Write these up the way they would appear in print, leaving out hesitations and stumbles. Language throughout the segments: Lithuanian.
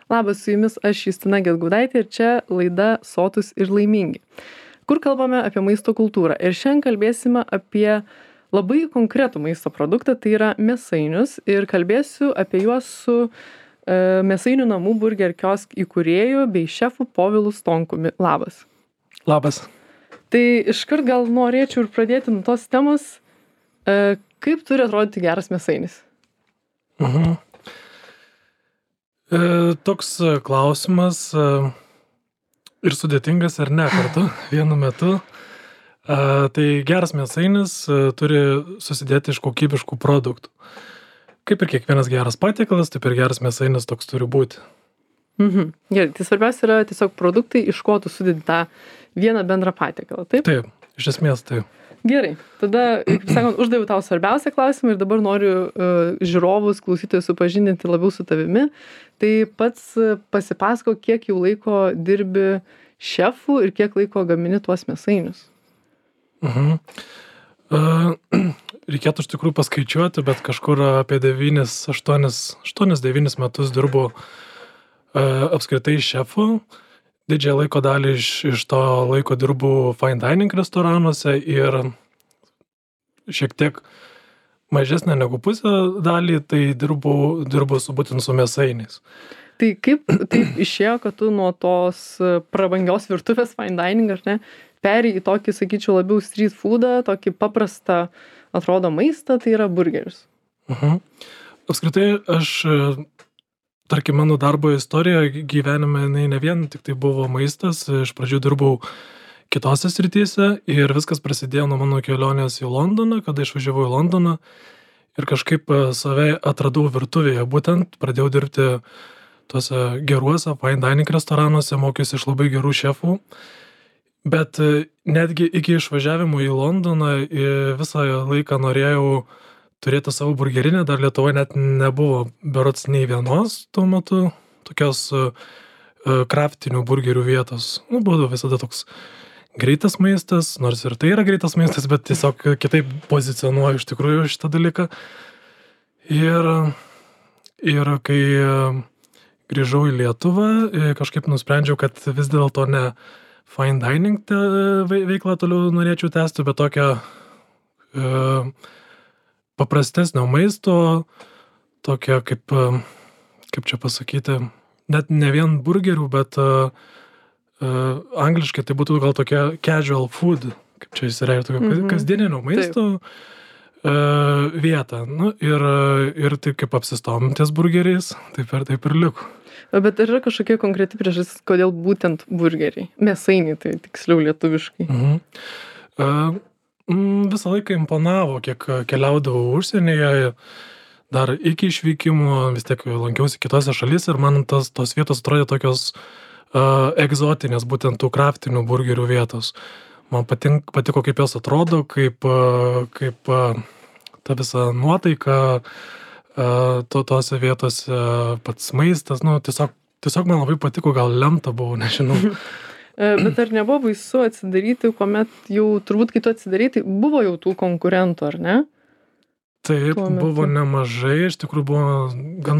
Labas, su jumis aš Justina Gedgaudaitė ir čia laida Sotūs ir laimingi, kur kalbame apie maisto kultūrą. Ir šiandien kalbėsime apie labai konkretų maisto produktą, tai yra mėsainius. Ir kalbėsiu apie juos su Mėsainių namų Burger Kiosk įkūrėju bei šefu Povilu Stonkumi. Labas. Labas. Tai iškart gal norėčiau ir pradėti nuo tos temos, kaip turi atrodyti geras mėsainis? Toks klausimas ir sudėtingas ar ne kartu, vienu metu. Tai geras mėsainis turi susidėti iš kokybiškų produktų. Kaip ir kiekvienas geras patiekalas, taip ir geras mėsainis toks turi būti. Gerai, tai svarbiausia yra tiesiog produktai, iš ko tu sudedi tą vieną bendrą patiekalą, taip? Taip, iš esmės taip. Gerai, tada, kaip sakant, uždaviau tau svarbiausią klausimą ir dabar noriu žiūrovus, klausytojus supažindinti labiau su tavimi. Tai pats pasipasako, kiek jau laiko dirbi šefu ir kiek laiko gamini tuos mėsainius. Reikėtų iš tikrųjų paskaičiuoti, bet kažkur apie 8-9 metus dirbu apskritai šefu. Didžiąją laiko dalį iš to laiko dirbu fine dining restoranuose ir šiek tiek mažesnę negu pusę dalį, tai dirbu būtent su mėsainiais. Tai kaip taip išėjo, kad tu nuo tos prabangios virtuvės fine dining, ar ne, perėjai į tokį, sakyčiau, labiau street foodą, tokį paprastą, atrodo, maistą, tai yra burgerius. Apskritai, tarkim, mano darbo istorija gyvenime ne vien tik tai buvo maistas, iš pradžių dirbau kitose srityse ir viskas prasidėjo nuo mano kelionės į Londoną, kada išvažiavau į Londoną ir kažkaip save atradau virtuvėje, būtent pradėjau dirbti tuose geruose fine dining restoranuose, mokiausi iš labai gerų šefų. Bet netgi iki išvažiavimo į Londoną visą laiką norėjau turėti savo burgerinę, dar Lietuvoje net nebuvo berods nei vienos tuo metu tokios kraftinių burgerių vietos. Buvo visada toks greitas maistas, nors ir tai yra greitas maistas, bet tiesiog kitaip pozicionuoju iš tikrųjų šitą dalyką. Ir kai grįžau į Lietuvą, kažkaip nusprendžiau, kad vis dėlto ne fine dining veiklą toliau norėčiau tęsti, bet tokią paprastesnio maisto, tokia kaip čia pasakyti, net ne vien burgerių, bet angliškai tai būtų gal tokia casual food, kaip čia įsireiškia, tokia kasdieninio maisto vieta. Ir taip kaip apsistojom ties burgeriais, taip ir liko. Bet yra kažkokia konkreti priežastis, kodėl būtent burgeriai? Mėsainiai, tai tiksliau lietuviškai. Visą laiką imponavo, kiek keliaudavau užsienyje, dar iki išvykimo, vis tiek lankiausi kitose šalyse ir man tos vietos atrodė tokios egzotinės, būtent tų kraftinių burgerių vietos. Man patiko, kaip jos atrodo, kaip ta visa nuotaika, tose vietose pats maistas, tiesiog man labai patiko, gal lemta buvo, nežinau. Bet ar nebuvo baisu atsidaryti, kuomet jau, turbūt kai tu atsidarei, tai buvo jau tų konkurentų, ar ne? Taip, buvo nemažai, iš tikrųjų buvo gan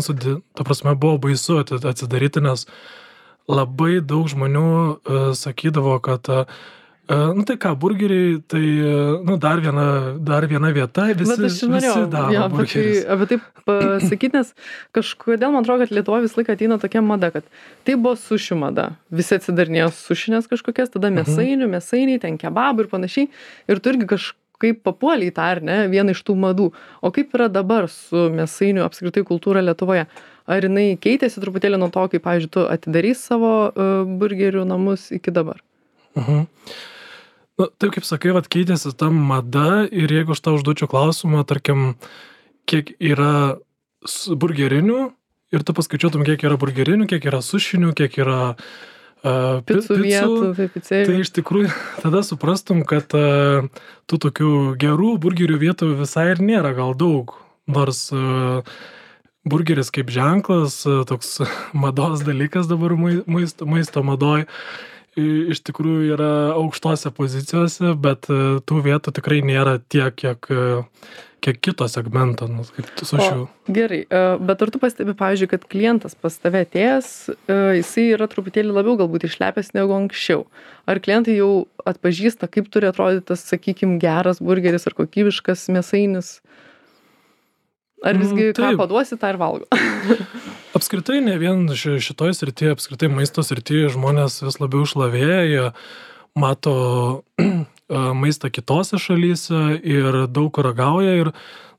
buvo baisu atsidaryti, nes labai daug žmonių sakydavo, kad tai ką, burgeriai, tai dar viena vieta, visi daro burgerius. Apie taip pasakyti, nes kažkodėl man atrodo, kad Lietuvoje vis laiką ateina tokia mada, kad tai buvo suši mada. Visi atsidarinėjo sušinės kažkokias, tada mėsainiai, ten kebabų ir panašiai. Ir tu irgi kažkaip papuoliai tą, ar ne, vieną iš tų madų. O kaip yra dabar su mėsainių apskritai kultūra Lietuvoje? Ar jinai keitėsi truputėlį nuo to, kaip, pavyzdžiui, tu atidarys savo burgerių namus iki dabar? Taip kaip sakai, keitėsi ta mada ir jeigu aš tau užduočiau klausimą, tarkim, kiek yra burgerinių ir tu paskaičiuotum, kiek yra burgerinių, kiek yra sušinių, kiek yra picų vietų, tai iš tikrųjų tada suprastum, kad tų tokių gerų burgerių vietų visai ir nėra gal daug, nors burgeris kaip ženklas, toks mados dalykas dabar maisto madoj. iš tikrųjų yra aukštose pozicijose, bet tų vietų tikrai nėra tiek, kiek kito segmento, kaip su šiuo. Gerai, bet ar tu pastebi, pavyzdžiui, kad klientas pas tave atėjęs, jisai yra truputėlį labiau galbūt išlepęs negu anksčiau? Ar klientai jau atpažįsta, kaip turi atrodyti tas, sakykime, geras burgeris ar kokybiškas mėsainis? Ar visgi ką paduosi, tą ir valgo? Apskritai, ne vien šitoj srityje, apskritai maisto srityje žmonės vis labiau šlavėja, jie mato maistą kitose šalyse ir daug ragauja ir,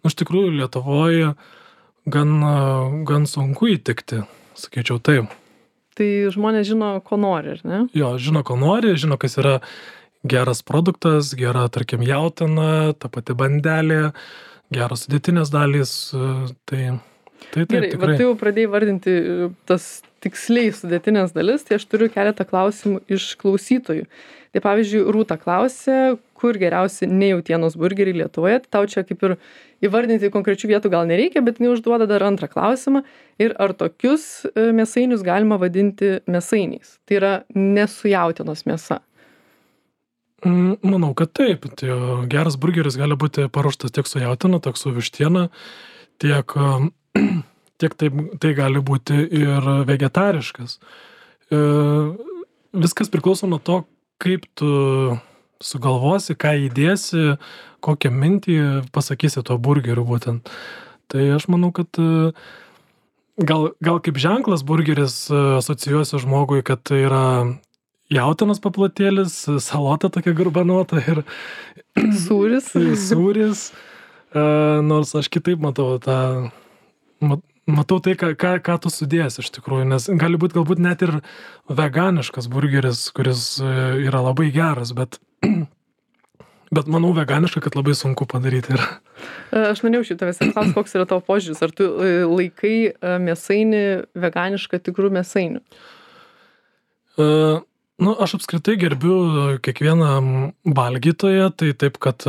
iš tikrųjų, Lietuvoje gan sunku įtikti, sakyčiau taip. Tai žmonės žino, ko nori, ar ne? Jo, žino, ko nori, žino, kas yra geras produktas, gera, tarkim, jautiena, ta pati bandelė, geros sudėtinės dalys, tai Gerai, tikrai. Bet tu jau pradėjai vardinti tas tiksliai sudėtinės dalis, tai aš turiu keletą klausimų iš klausytojų. Tai pavyzdžiui, Rūta klausė, kur geriausi nejautienos burgeriai Lietuvoje. Tau čia kaip ir įvardinti konkrečių vietų gal nereikia, bet jinai užduoda dar antrą klausimą. Ir ar tokius mėsainius galima vadinti mėsainiais? Tai yra nesu jautienos mėsa. Manau, kad taip. Tai geras burgeris gali būti paruoštas tiek su jautiena, tiek su vištiena, tiek tai gali būti ir vegetariškas. Viskas priklauso nuo to, kaip tu sugalvosi, ką įdėsi, kokią mintį pasakysi tuo burgeriu būtent. Tai aš manau, kad gal kaip ženklas burgeris asocijuosi žmogui, kad tai yra jautienos paplotėlis, salota tokia garbanuota ir sūris. Nors aš kitaip matau tai, ką tu sudėsi iš tikrųjų, nes gali būti galbūt net ir veganiškas burgeris, kuris yra labai geras, bet manau veganiška, kad labai sunku padaryti yra. Aš norėjau tavęs klausti, koks yra tavo požiūris, ar tu laikai mėsainį veganišką tikrų mėsainių? Aš apskritai gerbiu kiekvieną valgytoją, tai taip, kad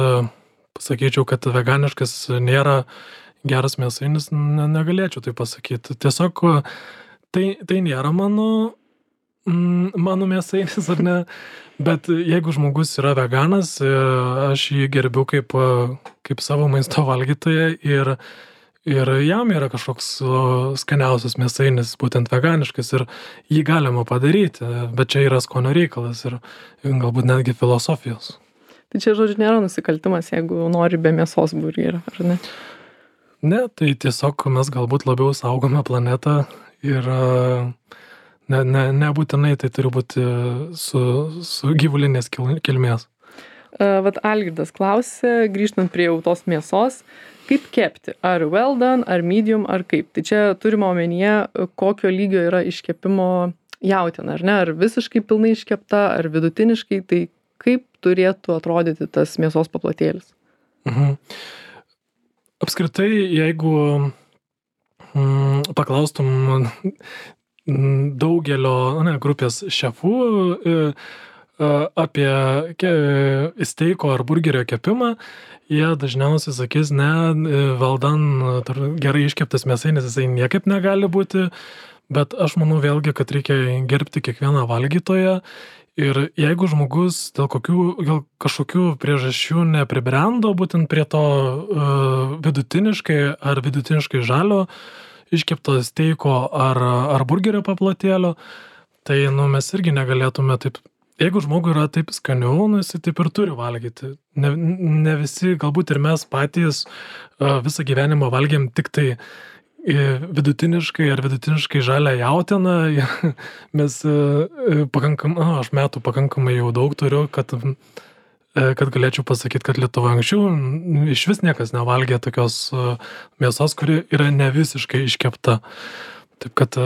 pasakyčiau, kad veganiškas nėra geras mėsainis, negalėčiau tai pasakyti. Tiesiog tai nėra mano mėsainis, ar ne, bet jeigu žmogus yra veganas, aš jį gerbiu kaip savo maisto valgytoją ir jam yra kažkoks skaniausias mėsainis, būtent veganiškas, ir jį galima padaryti, bet čia yra skonio reikalas ir galbūt netgi filosofijos. Tai čia, žodžiu, nėra nusikaltimas, jeigu nori be mėsos burgerio, ar ne? Ne, tai tiesiog mes galbūt labiau saugome planetą ir nebūtinai tai turi būti su gyvulinės kilmės. Vat Algirdas klausė, grįžtant prie jau tos mėsos, kaip kepti? Ar well done, ar medium, ar kaip? Tai čia turime omenyje, kokio lygio yra iškepimo jautiena, ar ne? Ar visiškai pilnai iškepta, ar vidutiniškai, tai kaip turėtų atrodyti tas mėsos paplotėlis? Apskritai, jeigu paklaustum daugelio grupės šefų apie steiko ar burgerio kepimą, jie dažniausiai sakys, valdan gerai iškeptas mėsainis, jisai niekaip negali būti, bet aš manau vėlgi, kad reikia gerbti kiekvieną valgytoją ir jeigu žmogus dėl kažkokių priežasčių nepribrendo būtent prie to vidutiniškai žalio iškepto steiko ar burgerio paplotėlio, tai mes irgi negalėtume taip. Jeigu žmogui yra taip skaniau, jisai taip ir turi valgyti. Ne visi, galbūt ir mes patys visą gyvenimą valgėm tik tai vidutiniškai žalią jautieną. Mes aš metų pakankamai jau daug turiu, kad galėčiau pasakyti, kad Lietuvoje anksčiau iš vis niekas nevalgė tokios mėsos, kuri yra ne visiškai iškepta. Taip kad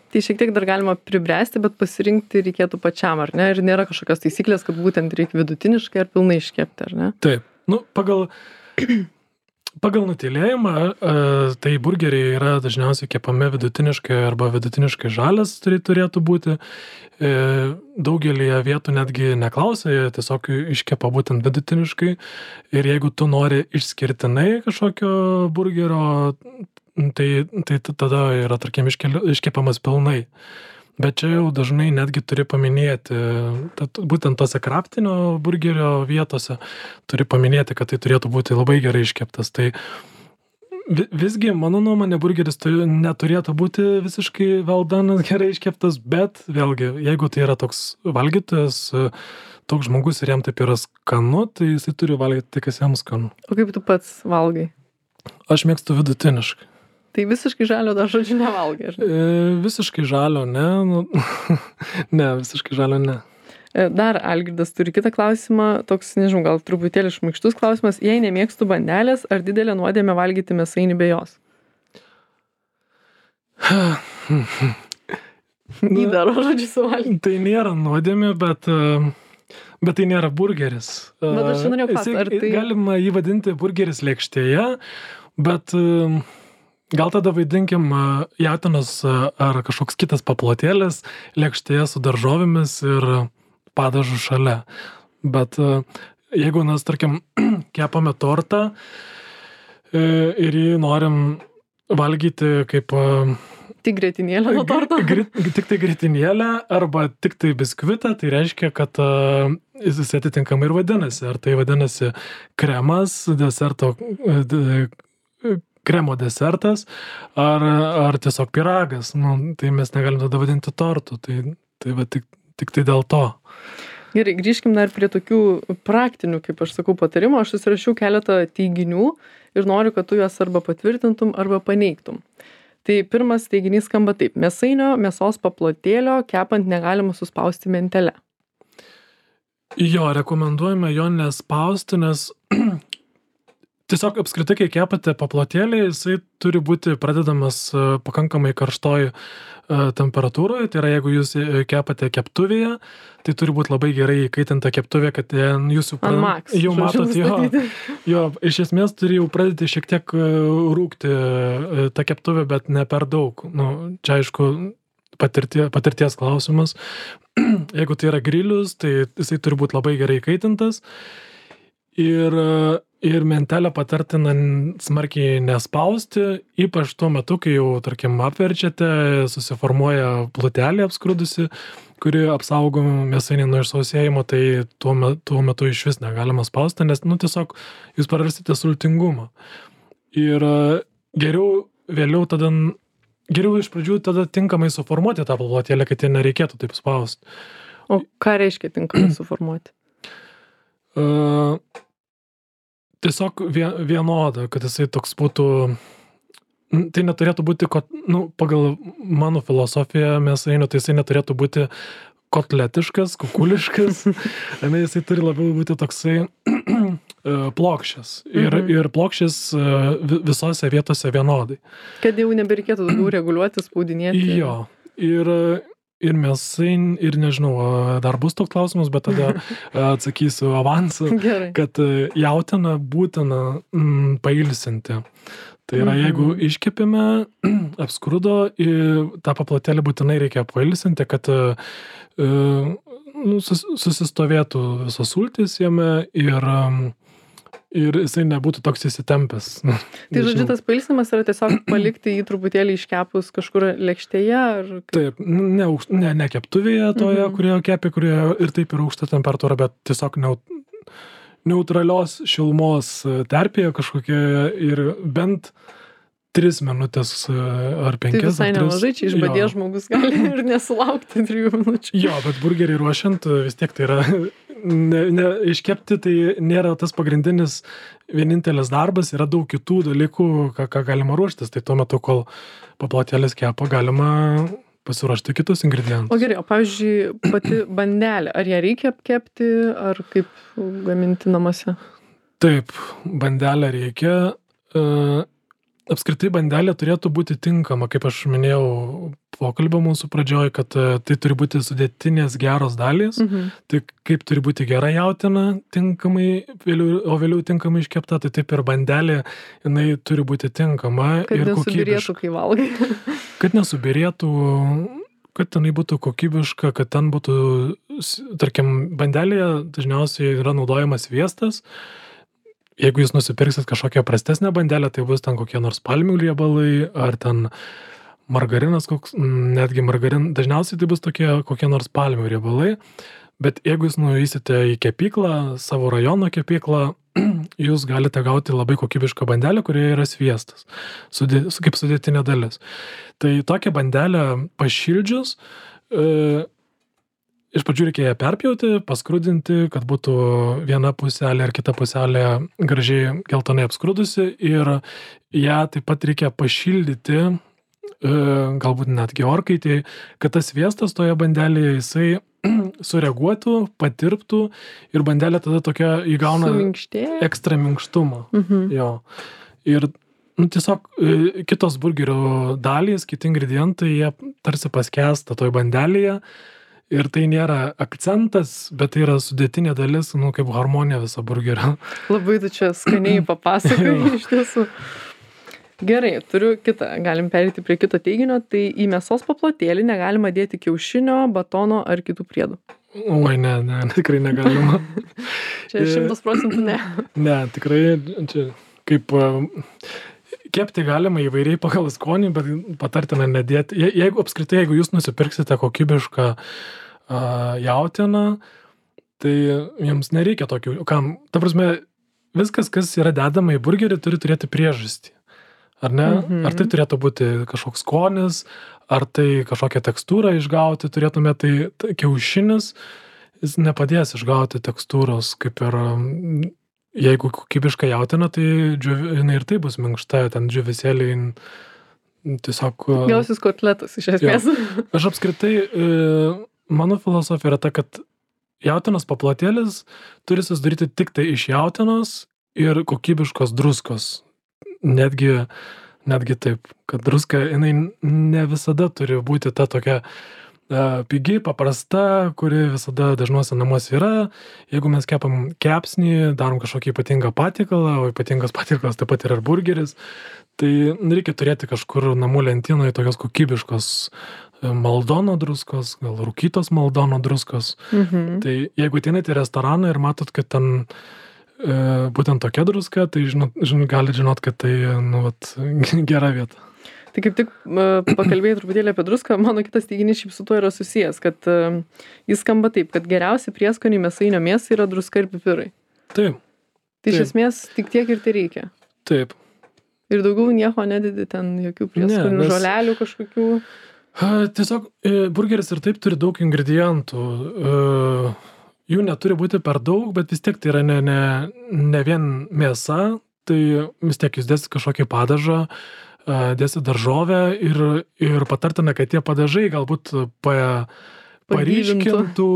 Tai šiek tiek dar galima pribręsti, bet pasirinkti reikėtų pačiam, ar ne? Ir nėra kažkokios taisyklės, kad būtent reikia vidutiniškai ar pilnai iškepti, ar ne? Taip. Pagal nutylėjimą, tai burgeriai yra dažniausiai kepami vidutiniškai arba vidutiniškai žalias turėtų būti. Daugelį vietų netgi neklausia, jie tiesiog iškepa būtent vidutiniškai. Ir jeigu tu nori išskirtinai kažkokio burgerio, tai tada yra, tarkim, iškepamas pilnai. Bet čia jau dažnai netgi turi paminėti, būtent tose kraftinio burgerio vietose, turi paminėti, kad tai turėtų būti labai gerai iškeptas. Tai visgi, mano nuomonė, burgeris neturėtų būti visiškai well done, gerai iškeptas, bet vėlgi, jeigu tai yra toks valgytojas, toks žmogus ir jam taip yra skanu, tai jisai turi valgyti tai, kas jam skanu. O kaip tu pats valgai? Aš mėgstu vidutiniškai. Tai visiškai žalio dar žodžiu nevalgai, ar ne? Visiškai žalio, ne. Ne, visiškai žalio, ne. Dar Algirdas turi kitą klausimą, toks, nežinau, gal truputėlį šmaikštus klausimas. Jei nemėgstu bandelės, ar didelė nuodėmė valgyti mėsainį be jos? Įdaro žodžiu suvalgyti. Tai nėra nuodėmė, bet tai nėra burgeris. Bet aš norėjau klausti, ar tai... Galima jį vadinti burgeris lėkštėje, bet gal tada vaidinkim jautienos ar kažkoks kitas paplotėlis lėkštėje su daržovėmis ir padažu šalia. Bet jeigu mes, tarkim, kepame tortą ir jį norim valgyti kaip... Tik grietinėlę nuo torto? Tik tai grietinėlę arba tik tai biskvitą, tai reiškia, kad jis atitinkamai ir vadinasi. Ar tai vadinasi kremas, kremo desertas, ar tiesiog pyragas. Nu, tai mes negalim tada vadinti tortu. Tai va tik tai dėl to. Gerai, grįžkim dar prie tokių praktinių, kaip aš sakau, patarimų. Aš susirašiau keletą teiginių ir noriu, kad tu juos arba patvirtintum, arba paneigtum. Tai pirmas teiginys skamba taip. Mėsainio, mėsos paplotėlio kepant negalima suspausti mentelę. Jo, rekomenduojame jo nespausti, nes tiesiog apskritai, kai kepate paplotėlį, jisai turi būti pradedamas pakankamai karštoj temperatūroje. Tai yra, jeigu jūs kepate keptuvėje, tai turi būti labai gerai įkaitinta keptuvė, kad jūs jau matot, jo, iš esmės turi jau pradėti šiek tiek rūkti tą keptuvę, bet ne per daug. Nu, čia aišku, patirties klausimas. Jeigu tai yra grilius, tai jisai turi būti labai gerai įkaitintas. Ir mentelę patartina smarkiai nespausti, ypač tuo metu, kai jau, tarkim, apverčiate, susiformuoja plutelė apskrudusi, kuri apsaugo mėsainį nuo išsausėjimo, tai tuo metu iš vis negalima spausti, nes, tiesiog jūs prarasite sultingumą. Ir geriau iš pradžių tada tinkamai suformuoti tą plotėlę, kad jie nereikėtų taip spausti. O ką reiškia tinkamai suformuoti? Tiesiog vienoda, kad jisai toks būtų, tai neturėtų būti, pagal mano filosofiją mėsainio, tai jisai neturėtų būti kotletiškas, kukuliškas, jisai turi labiau būti toksai plokščias ir plokščias visose vietose vienodai. Kad jau nebereikėtų daugiau reguliuoti, spaudinėti. Jo, ir mėsain, ir nežinau, dar bus toks klausimas, bet tada atsakysiu avansą, kad jautieną būtina pailsinti. Tai yra, jeigu iškepėme, apskrudo, tą paplotėlį būtinai reikia pailsinti, kad susistovėtų visos sultys jame ir jisai nebūtų toks įsitempęs. Tai žodžiu, tas pailsinimas yra tiesiog palikti jį truputėlį iškepus kažkur lėkštėje? Taip, ne keptuvėje toje, kurioje kepė, kurioje ir taip yra aukšta temperatūra, bet tiesiog neutralios šilumos terpėje kažkokioje ir bent 3 minutės ar 5. Tai visai nemažai, čia išbadė žmogus gali ir nesulaukti 3 minučių. Jo, bet burgerį ruošiant vis tiek tai yra, iškepti tai nėra tas pagrindinis vienintelis darbas, yra daug kitų dalykų, ką galima ruoštis. Tai tuo metu, kol paplotėlis kepa, galima pasiruošti kitus ingredientus. O gerai, o pavyzdžiui, pati bandelė, ar ją reikia apkepti, ar kaip gaminti namuose? Taip, bandelę reikia. Apskritai bandelė turėtų būti tinkama, kaip aš minėjau pokalbio mūsų pradžioj, kad tai turi būti sudėtinės geros dalys, tai kaip turi būti gera jautiena tinkamai, o vėliau tinkamai iškepta, tai taip ir bandelė, jinai turi būti tinkama ir kokybiška. Kad nesubirėtų, kai valgai. Kad nesubirėtų, kad tenai būtų kokybiška, kad ten būtų, tarkim, bandelėje dažniausiai yra naudojamas sviestas. Jeigu jūs nusipirksit kažkokią prastesnę bandelę, tai bus ten kokie nors palmių riebalai, ar ten margarinas, netgi dažniausiai tai bus kokie nors palmių riebalai, bet jeigu jūs nueisite į kepyklą, savo rajono kepyklą, jūs galite gauti labai kokybišką bandelę, kurioje yra sviestas, kaip sudėtinė dalis. Tai tokią bandelę pašildžius, iš pradžių reikia ją perpjauti, paskrudinti, kad būtų viena puselė ar kita puselė gražiai geltonai apskrudusi ir ją taip pat reikia pašildyti, galbūt netgi orkaitėje, kad tas sviestas toje bandelėje jisai sureaguotų, patirptų ir bandelė tada tokia įgauna ekstra minkštumą. Jo. Ir tiesiog kitos burgerio dalys, kiti ingredientai, jie tarsi paskęsta toj bandelėje ir tai nėra akcentas, bet tai yra sudėtinė dalis, kaip harmonija viso burgerio. Labai tu čia skaniai papasakai iš tiesų. Gerai, turiu kitą, galim perėti prie kito teiginio, tai į mėsos paplotėlį negalima dėti kiaušinio, batono ar kitų priedų. Oi, ne, tikrai negalima. Čia 100% ne. Ne, tikrai, čia kaip kepti galima įvairiai pagal skonį, bet patartina nedėti. Jeigu jūs nusipirksite kokybišką jautieną, tai jums nereikia tokių, ta prasme, viskas, kas yra dedama į burgerį, turi turėti priežastį. Ar ne? Ar tai turėtų būti kažkoks skonis, ar tai kažkokią tekstūrą išgauti turėtume, tai kiaušinis, jis nepadės išgauti tekstūros, kaip ir jeigu kokybiška jautiena, tai jinai ir tai bus minkšta, ten džiuvisėliai tiesiog... Gausis kotletas iš esmės. Aš apskritai, mano filosofija yra ta, kad jautienos paplotėlis turi susidaryti tik tai iš jautienos ir kokybiškos druskos. Netgi taip, kad druska, jinai ne visada turi būti ta tokia pigi, paprasta, kuri visada dažnuose namuose yra. Jeigu mes kepam kepsnį, darom kažkokį ypatingą patiekalą, o ypatingas patiekalas taip pat yra burgeris, tai reikia turėti kažkur namų lentynoje tokios kokybiškos maldono druskos, gal rūkytos maldono druskos. Tai jeigu ateinate į restoraną ir matot, kad ten būtent tokia druska, tai gali žinot, kad tai gera vieta. Tai kaip tik pakalbėjai truputėlį apie druską, mano kitas teiginys šiaip su tuo yra susijęs, kad jis skamba taip, kad geriausi prieskoniai mėsainio mėsai yra druska ir pipirai. Taip. Tai iš esmės tik tiek ir tai reikia. Taip. Ir daugiau nieko nededi ten, jokių prieskonių, žolelių kažkokių. Tiesiog burgeris ir taip turi daug ingredientų. Jų neturi būti per daug, bet vis tiek tai yra ne vien mėsa, tai vis tiek jūs dėsit kažkokį padažą, dėsit daržovę ir patartina, kad tie padažai galbūt paryškintų,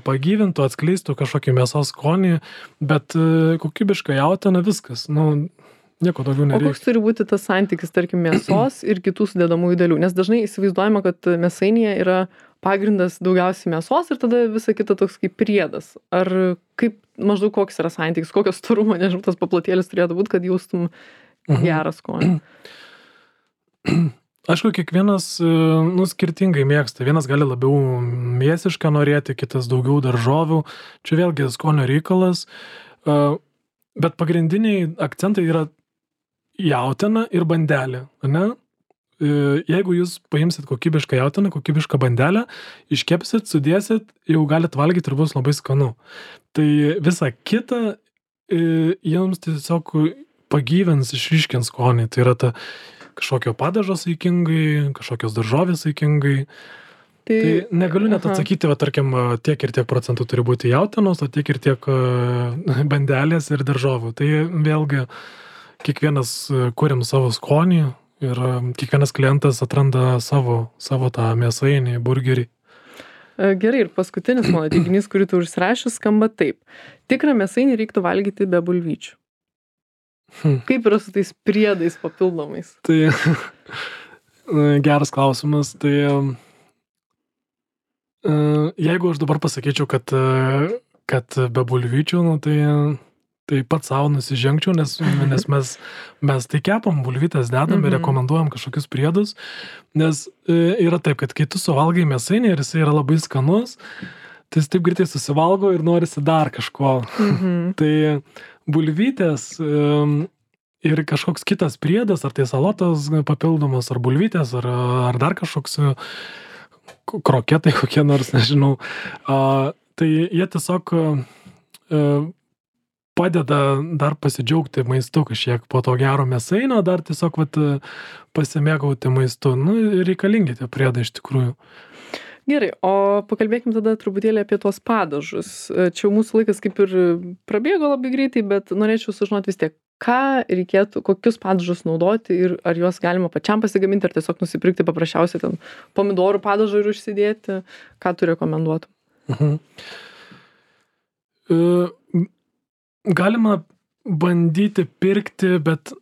pagyvintų, atskleistų kažkokį mėsos skonį, bet kokybiškai jautiena viskas, nieko daugiau nereikia. O koks turi būti tas santykis, tarkim, mėsos ir kitų sudedamųjų dalių? Nes dažnai įsivaizduojama, kad mėsainėje yra pagrindas daugiausiai mėsos ir tada visa kita toks kaip priedas. Ar kaip maždaug koks yra santykis, kokios storumo, nežinau, tas paplotėlis turėtų būti, kad jaustum gerą skonį? Aišku, kiekvienas skirtingai mėgsta. Vienas gali labiau mėsišką norėti, kitas daugiau daržovių. Čia vėlgi skonio reikalas. Bet pagrindiniai akcentai yra jautiena ir bandelė, ne? Jeigu jūs paimsit kokybišką jautieną, kokybišką bandelę, iškepsit, sudėsit, jau galit valgyti ir bus labai skanu. Tai visa kita jums tiesiog pagyvins, išryškins skonį. Tai yra ta kažkokio padažo saikingai, kažkokios daržovės saikingai. Tai negaliu net atsakyti, tarkim, tiek ir tiek procentų turi būti jautienos, o tiek ir tiek bandelės ir daržovių. Tai vėlgi kiekvienas kuriam savo skonį. Ir kiekvienas klientas atranda savo tą mėsainį, burgerį. Gerai, ir paskutinis mano teiginys, kurį tu užsirašęs, skamba taip. Tikrą mėsainį reiktų valgyti be bulvyčių. Kaip yra su tais priedais papildomais? Tai geras klausimas. Tai jeigu aš dabar pasakyčiau, kad be bulvyčių, tai pats savo nusižengčiau, nes mes tai kepam, bulvytės dedam ir rekomenduojam kažkokius priedus, nes yra taip, kad kai tu suvalgai mėsainį ir jisai yra labai skanus, tai jis taip greitai susivalgo ir norisi dar kažko. Tai bulvytės ir kažkoks kitas priedas, ar tai salotas papildomas, ar bulvytės, ar dar kažkoks kroketai kokie nors, nežinau. Tai jie tiesiog padeda dar pasidžiaugti maistu kažkiek po to gero mėsainio, dar tiesiog pasimėgauti maistu. Nu, reikalingi tie priedai iš tikrųjų. Gerai, o pakalbėkim tada truputėlį apie tuos padažus. Čia mūsų laikas kaip ir prabėgo labai greitai, bet norėčiau sužinoti vis tiek, ką reikėtų, kokius padažus naudoti ir ar juos galima pačiam pasigaminti, ar tiesiog nusipirkti paprasčiausiai ten pomidorų padažą ir užsidėti. Ką tu rekomenduotum? Galima bandyti pirkti, bet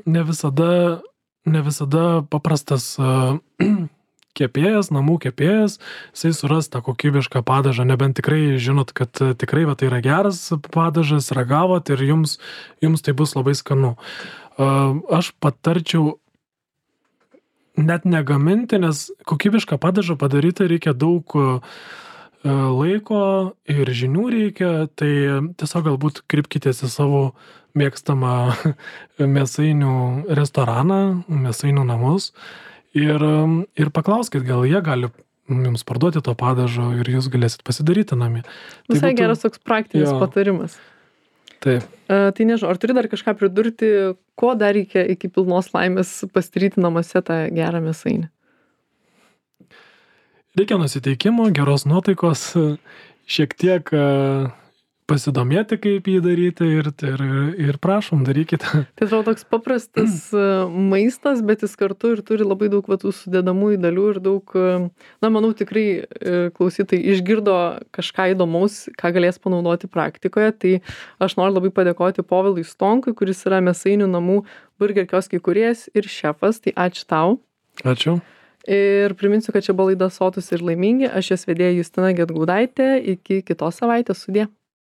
ne visada paprastas kepėjas, namų kepėjas, jisai suras tą kokybišką padažą, nebent tikrai žinot, kad tikrai tai yra geras padažas, ragavot ir jums tai bus labai skanu. Aš patarčiau net negaminti, nes kokybišką padažą padaryti reikia daug laiko ir žinių reikia, tai tiesiog galbūt krypkitės į savo mėgstamą mėsainių restoraną, mėsainių namus ir paklauskit, gal jie gali jums parduoti to padažo ir jūs galėsit pasidaryti namie. Visai geras toks praktinis patarimas. Taip. Tai nežinau, ar turi dar kažką pridurti, ko dar reikia iki pilnos laimės pasidaryti namuose tą gerą mėsainį? Reikia nusiteikimo, geros nuotaikos, šiek tiek pasidomėti, kaip jį daryti ir prašom, darykite. Tai atrodo toks paprastas maistas, bet jis kartu ir turi labai daug tų sudedamųjų dalių ir daug, manau, tikrai klausytojai išgirdo kažką įdomaus, ką galės panaudoti praktikoje. Tai aš noriu labai padėkoti Povilui Stonkui, kuris yra Mėsainių namų burger kiosko įkūrėjas ir šefas. Tai ačiū tau. Ačiū. Ir priminsiu, kad čia buvo laida Sotūs ir laimingi. Aš jos vedėja Justina Gedgaudaitė. Iki kitos savaitės. Sudie.